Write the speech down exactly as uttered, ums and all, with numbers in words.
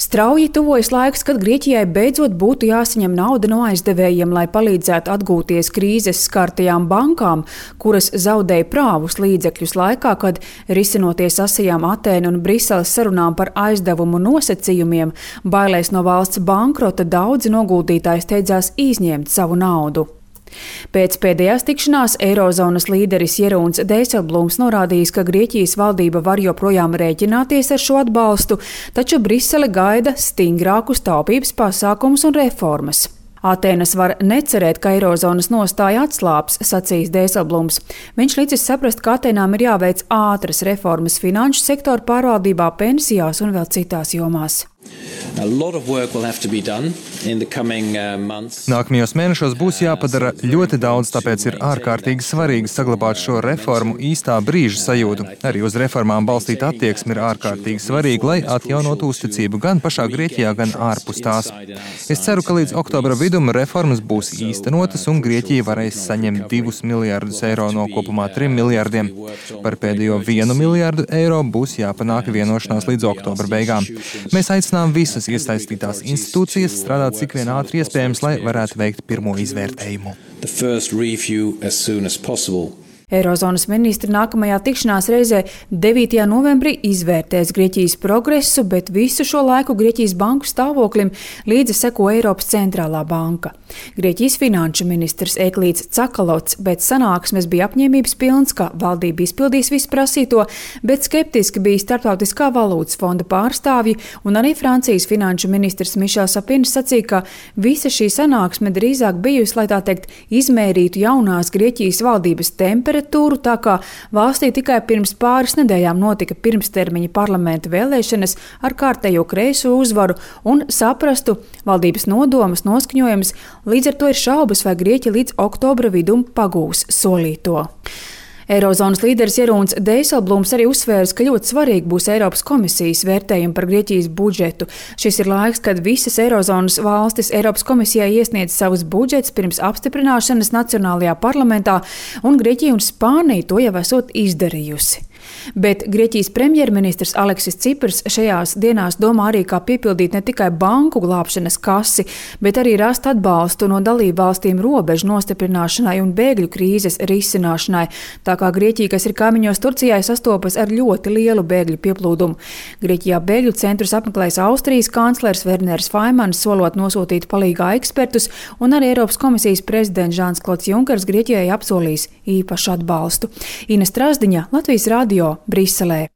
Strauji tuvojas laiks, kad Grieķijai beidzot būtu jāsaņem nauda no aizdevējiem, lai palīdzētu atgūties krīzes skartajām bankām, kuras zaudēja prāvus līdzekļus laikā, kad risinoties asajām Atēnu un Briseles sarunām par aizdevumu nosacījumiem, bailēs no valsts bankrota daudzi noguldītāji steidzās izņemt savu naudu. Pēc pēdējās tikšanās Eirozonas līderis Jeroens Dijsselbloems norādījis, ka Grieķijas valdība var joprojām rēķināties ar šo atbalstu, taču Brisele gaida stingrākus taupības pasākumus un reformas. Atēnas var necerēt, ka Eirozonas nostāja atslābs, sacījis Dijsselbloems. Viņš licis saprast, ka Atēnām ir jāveic ātras reformas finanšu sektora pārvaldībā, pensijās un vēl citās jomās. Nākamajos mēnešos būs jāpadara ļoti daudz, tāpēc ir ārkārtīgi svarīgi saglabāt šo reformu īstā brīža sajūtu. Arī uz reformām balstīta attieksme ir ārkārtīgi svarīga, lai atjaunotu uzticību gan pašā Grieķijā, gan ārpus tās. Es ceru, ka līdz oktobra vidum reformas būs īstenotas un Grieķija varēs saņemt divus miljardus eiro no kopumā trim miljardiem. Par pēdējo vienu miljardu eiro būs jāpanāk vienošanās līdz oktobra beigām. Mēs aicinām visas iesaistītās institūcijas strādāt cik vien ātri iespējams, lai varētu veikt pirmo izvērtējumu. Eirozonas ministri nākamajā tikšanās reizē devītajā novembrī izvērtēs Grieķijas progresu, bet visu šo laiku Grieķijas banku stāvoklim līdzi seko Eiropas centrālā banka. Grieķijas finanšu ministrs Eklīds Cakalots pēc sanāksmes bija apņēmības pilns, ka valdība izpildīs visu prasīto, bet skeptiski bija Starptautiskā valūtas fonda pārstāvji, un arī Francijas finanšu ministrs Mišels Sapins sacīja, ka visa šī sanāksme drīzāk bijusi, lai tā teikt, izmērītu jaunās Grieķijas valdības temperatūru, tā kā valstī tikai pirms pāris nedēļām notika pirmstermiņa parlamenta vēlēšanas ar kārtējo kreiso uzvaru un saprastu valdības nodomas, noskaņojumus, līdz ar to ir šaubas, vai Grieķija līdz oktobra vidum pagūs solīto. Eirozonas līderis Jeroens Dijsselbloems arī uzsvērs, ka ļoti svarīgi būs Eiropas komisijas vērtējumi par Grieķijas budžetu. Šis ir laiks, kad visas Eirozonas valstis Eiropas komisijai iesniedz savus budžetus pirms apstiprināšanas Nacionālajā parlamentā, un Grieķija un Spānija to jau esot izdarījusi. Bet Grieķijas premjerministrs Aleksis Ciprs šajās dienās domā arī, kā piepildīt ne tikai banku glābšanas kasi, bet arī rast atbalstu no dalību valstīm robežu nostiprināšanai un bēgļu krīzes risināšanai, tā kā Grieķija, kas ir kaimiņos Turcijai, sastopas ar ļoti lielu bēgļu pieplūdumu. Grieķijā bēgļu centrus apmeklēs Austrijas kanclers Werners Faimans, solot nosūtīt palīgā ekspertus, un arī Eiropas komisijas prezidents Žans Klods Junkers Grieķijai apsolīs īpašu atbalstu. Ines Trasdiņa, Latvijas radio, Briselē.